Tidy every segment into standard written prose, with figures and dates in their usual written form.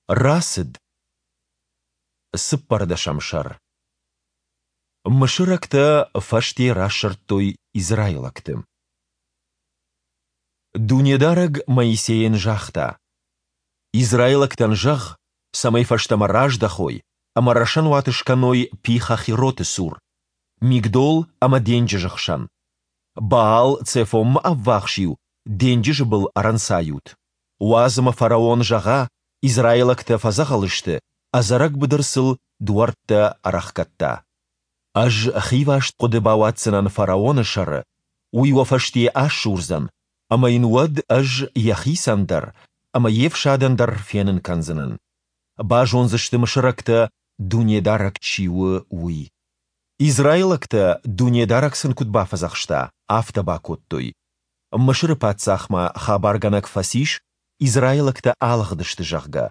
Рацыд. Цыппӕрдӕсӕм сӕр. Мысырӕгтӕ фӕсте расырдтой израилӕгты. Дунедарӕг Моисейӕн загъта: «Израилӕгтӕн зӕгъ, цӕмӕй фӕстӕмӕ раздӕхой ӕмӕ рӕсӕнуат скӕной Пи-Хахироты цур, Мигдол ӕмӕ денджызы хсӕн. Баал-Цефонмӕ ӕввахс-иу денджызы был ӕрӕнцайут. Уадз ӕмӕ фараон зӕгъа, израилӕгтӕ фӕдзӕгъӕл сты, ӕдзӕрӕг быдыр сыл дуӕрттӕ ӕрӕхгӕдта. Ӕз хиваст хъуыды бауадздзынӕн фараоны сӕры, уый уӕ фӕсте асурдзӕн, ӕмӕ йын уӕд ӕз йӕхицӕн дӕр ӕмӕ йе фсадӕн дӕр фенын кӕндзынӕн. Базондзысты мысырӕгтӕ, Дунедарӕг чи у, уый. Израилӕгтӕ, Дунедарӕг сын куыд бафӕдзӕхста, афтӕ бакодтой. Мысыры паддзахмӕ хабаргӕнӕг фӕцис, израилӕгтӕ алыгъдысты, зӕгъгӕ.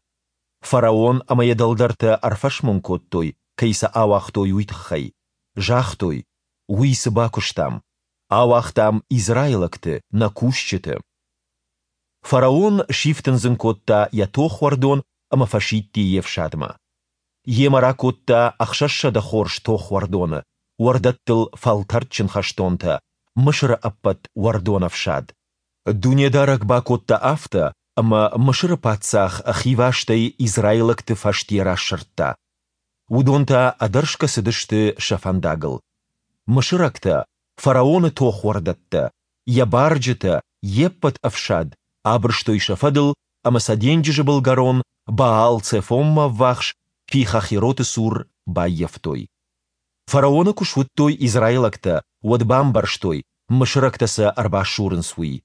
Фараон ӕмӕ йӕ дӕлдӕртӕ ӕрфӕсмон кодтой, кӕй сӕ ауагътой, уый тыххӕй. Загътой, Уый цы бакуыстам? Ауагътам израилӕгты, нӕ кусджыты. Фараон сифтындзын кодта йӕ тохуӕрдон ӕмӕ фӕсидти йе фсадмӕ. Йемӕ ракодта 600 хорз тохуӕрдоны, уӕрдӕттыл фӕлтӕрдджын хӕстонтӕ, Мысыры ӕппӕт уӕрдонӕфсад. Дунедарӕг бакодта афтӕ, ӕмӕ Мысыры паддзах хивастӕй израилӕгты фӕсте расырдта. Уыдон та ӕдӕрсгӕ цыдысты сӕ фӕндагыл. Мысырӕгтӕ, фараоны тохуӕрдӕттӕ, йӕ барджытӕ, йе ппӕт ӕфсад абырстой сӕ фӕдыл ӕмӕ сӕ денджызы былгӕрон Баал-Цефонмӕ ӕввахс Пи-Хахироты цур баййӕфтой. Фараоны куы суыдтой израилӕгтӕ, уӕд бамбӕрстой, мысырӕгтӕ сӕ ӕрбасурынц, уый.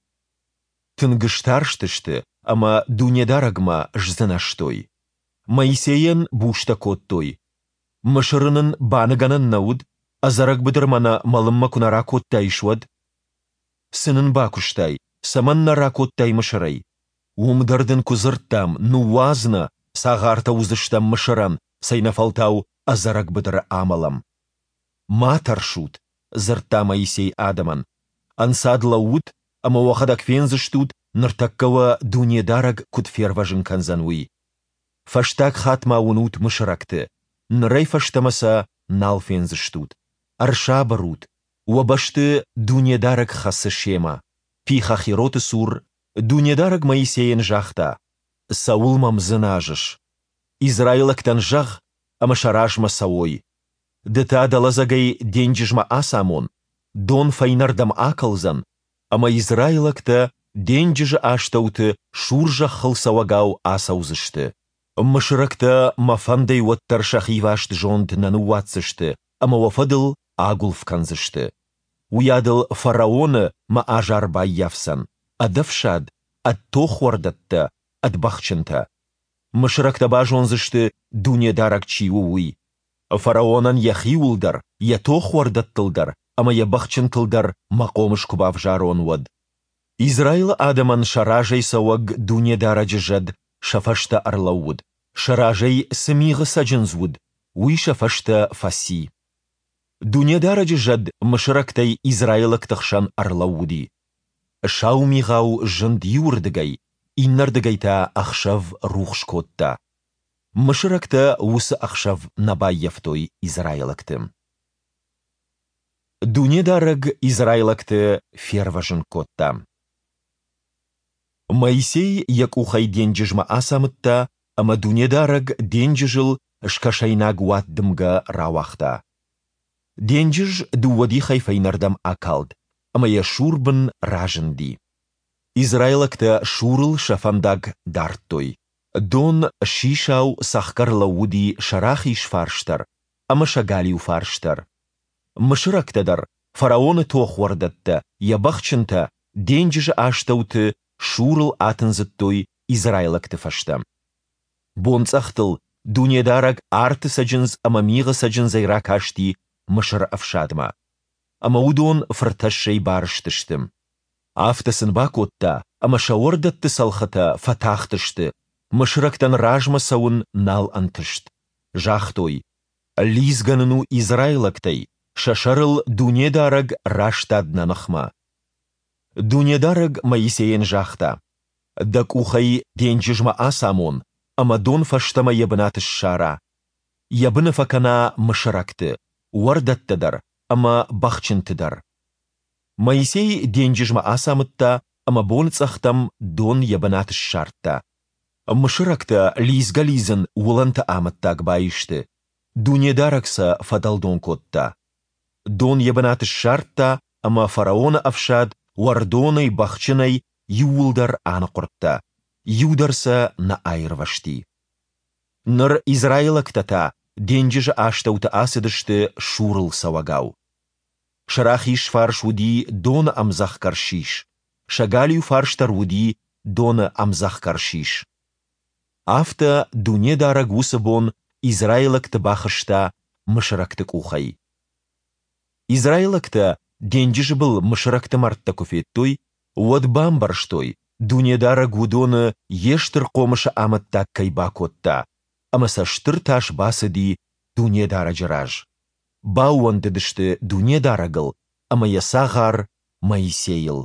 Тынг старстысты ӕмӕ Дунедарӕгмӕ сдзынӕзтой. Моисейӕн бустӕ кодтой: «Мысыры нын баныгӕнӕн нӕ уыд, ӕдзӕрӕг быдырмӕ нӕ мӕлынмӕ куы нӕ ракодтаис, уӕд? Цы нын бакуыстай, цӕмӕн нӕ ракодтай Мысырӕй? Уым дӕр дын куы дзырдтам, ныууадз нӕ, цагъартӕ уыдзыстӕм Мысырӕн, цӕйнӕфӕлтау ӕдзӕрӕг быдыры амӕлӕм. Ма тӕрсут, дзырдта Моисей адӕмӕн. Ӕнцад лӕуут ӕмӕ уӕхӕдӕг фендзыстут, ныртӕккӕ уӕ Дунедарӕг куыд фервӕзын кӕндзӕн, уый. Фӕстаг хатт ма уынут мысырӕгты, нырӕй фӕстӕмӕ сӕ нал фендзыстут. Ӕрсабыр ут, уӕ бӕсты Дунедарӕг хӕцы семӕ. Пи-Хахироты цур Дунедарӕг Моисейӕн загъта, Цӕуыл мӕм дзыназыс? Израилӕгтӕн зӕгъ, ӕмӕ сӕ размӕ цӕуой. Ды та дӕ лӕдзӕгӕй денджызмӕ ацамон, дон фӕйнӕрдӕм акӕлдзӕн, ӕмӕ израилӕгтӕ денджызы астӕуты сур зӕххыл цӕуӕгау ацӕудзысты. Мысырӕгтӕ мӕ фӕндӕй уӕддӕр сӕ хиваст зонд нӕ ныууадздзысты ӕмӕ уӕ фӕдыл агуылф кӕндзысты. Уыйадыл фараоны мӕ азар баййафдзӕн, ӕд ӕфсад, ӕд тохуӕрдӕттӕ, ӕд бӕхджынтӕ. Мысырӕгтӕ базондзысты, Дунедарӕг чи у, уый. Фараонӕн йӕхиуыл дӕр, йӕ тохуӕрдӕттыл дӕр ӕмӕ йӕ бӕхджынтыл дӕр мӕ хъомыс куы бавзарон, уӕд. Израилы адӕмӕн сӕ разӕй цӕуӕг Дунедарӕджы зӕд сӕ фӕстӕ ӕрлӕууыд, сӕ разӕй цы мигъы цӕджындз уыд, уый сӕ фӕстӕ фӕци. Дунедарӕджы зӕд мысырӕгтӕй израилӕгты хсӕн ӕрлӕууыди. Сау мигъау зынд иуырдыгӕй, иннӕрдыгӕй та ӕхсӕв рухс кодта. Мысырӕгтӕ уыцы ӕхсӕв нӕ баййӕфтой израилӕгты. Дунедарӕг израилӕгты фервӕзын кодта. Моисей йӕ къухӕй денджызмӕ ацамыдта, ӕмӕ Дунедарӕг денджызыл скӕсӕйнаг уаддымгӕ рауагъта. Денджыз дыууӕ дихӕй фӕйнӕрдӕм акалд, ӕмӕ йӕ сур бын разынди. Израилӕгтӕ сурыл сӕ фӕндаг дардтой. Дон сисау цӕхгӕр лӕууыди сӕ рахиз фарс дӕр ӕмӕ сӕ галиу фарс дӕр. Мысырӕгтӕ дӕр, фараоны тохуӕрдӕттӕ, йӕ бӕхджынтӕ денджызы астӕуты сурыл атындзыдтой израилӕгты фӕстӕ. Бонцъӕхтыл Дунедарӕг арты цӕджындз ӕмӕ мигъы цӕджындзӕй ракасти Мысыры ӕфсадмӕ. Ӕмӕ уыдон фыртӕссӕй барызтысты. Афтӕ сын бакодта, ӕмӕ сӕ уӕрдӕтты цӕлхытӕ фӕтахтысты, мысырӕгтӕн размӕ цӕуын нал ӕнтыст. Загътой, Лидзгӕ нын у израилӕгтӕй, сӕ сӕрыл Дунедарӕг растад нӕ ныхмӕ. Дунедарӕг Моисейӕн загъта, Дӕ къухӕй денджызмӕ ацамон. ӕмӕ дон фӕстӕмӕ йӕ бынат ссара, йӕ быны фӕкӕна мысырӕгты, уӕрдӕттӕ дӕр ӕмӕ бӕхджынты дӕр. Моисей денджызмӕ ацамыдта, ӕмӕ боныцъӕхтӕм дон йӕ бынат ссардта. Мысырӕгтӕ лидзгӕ-лидзын уылӕнты амӕттаг баисты, Дунедарӕг сӕ фӕдӕлдон кодта. Дон йӕ бынат ссардта, ӕмӕ фараоны ӕфсад уӕрдонӕй, бӕхджынӕй иууылдӕр аныхъуырдта, иу дӕр сӕ нӕ аирвӕзти. Ныр израилӕгтӕ та денджызы астӕуты ацыдысты сурыл цӕуӕгау. Сӕ рахиз фарс уыди доны ӕмдзӕхгӕр сис, сӕ галиу фарс дӕр уыди доны ӕмдзӕхгӕр сис. Афтӕ Дунедарӕг уыцы бон израилӕгты бахызта мысырӕгты къухӕй. Израилӕгтӕ денджызы был мысырӕгты мӕрдтӕ куы федтой, уӕд бамбӕрстой, Дунедарӕг уыдоны Йе стыр хъомысы амӕттаг кӕй бакодта, ӕмӕ сӕ стыр тас бацыди Дунедарӕджы раз. Баууӕндыдысты Дунедарӕгыл ӕмӕ Йӕ цагъар Моисейыл.